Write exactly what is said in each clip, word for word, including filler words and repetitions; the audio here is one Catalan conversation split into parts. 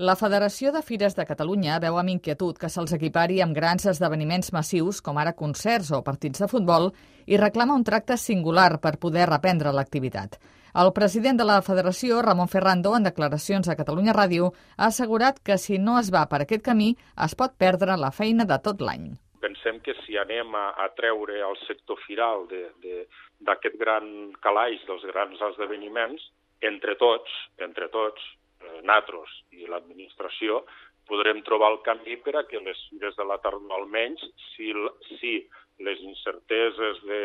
La Federació de Fires de Catalunya veu amb inquietud que se'ls equipari amb grans esdeveniments massius, com ara concerts o partits de futbol, i reclama un tracte singular per poder reprendre l'activitat. El president de la Federació, Ramon Ferrando, en declaracions a Catalunya Ràdio, ha assegurat que si no es va per aquest camí es pot perdre la feina de tot l'any. Pensem que si anem a, a treure el sector firal d'aquest gran calaix dels grans esdeveniments, entre tots, entre tots, nosaltres i l'administració, podrem trobar el camí per a que les fires de la tardor, almenys, si, si les incerteses de,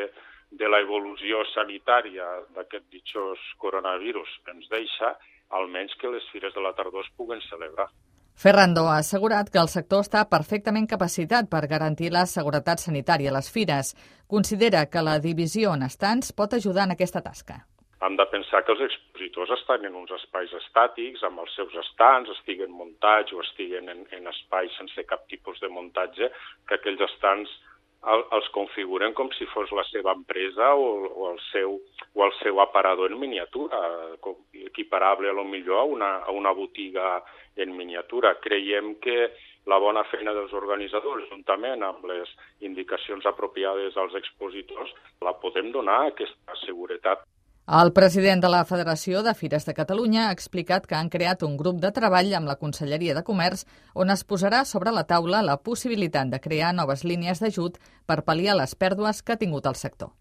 de l'evolució sanitària d'aquest ditxós coronavirus ens deixa, almenys que les fires de la tardor es puguen celebrar. Ferrando ha assegurat que el sector està perfectament capacitat per garantir la seguretat sanitària a les fires. Considera que la divisió en estants pot ajudar en aquesta tasca. Hem de pensar que els expositors estan en uns espais estàtics, amb els seus estants, estiguen muntats o estiguen en, en espais sense cap tipus de muntatge, que aquells estants el, els configuren com si fos la seva empresa o, o, el, seu, o el seu aparador en miniatura, equiparable a lo millor a una, a una botiga en miniatura. Creiem que la bona feina dels organitzadors, juntament amb les indicacions apropiades als expositors, la podem donar aquesta seguretat. El president de la Federació de Fires de Catalunya ha explicat que han creat un grup de treball amb la Conselleria de Comerç on es posarà sobre la taula la possibilitat de crear noves línies d'ajut per pal·liar les pèrdues que ha tingut el sector.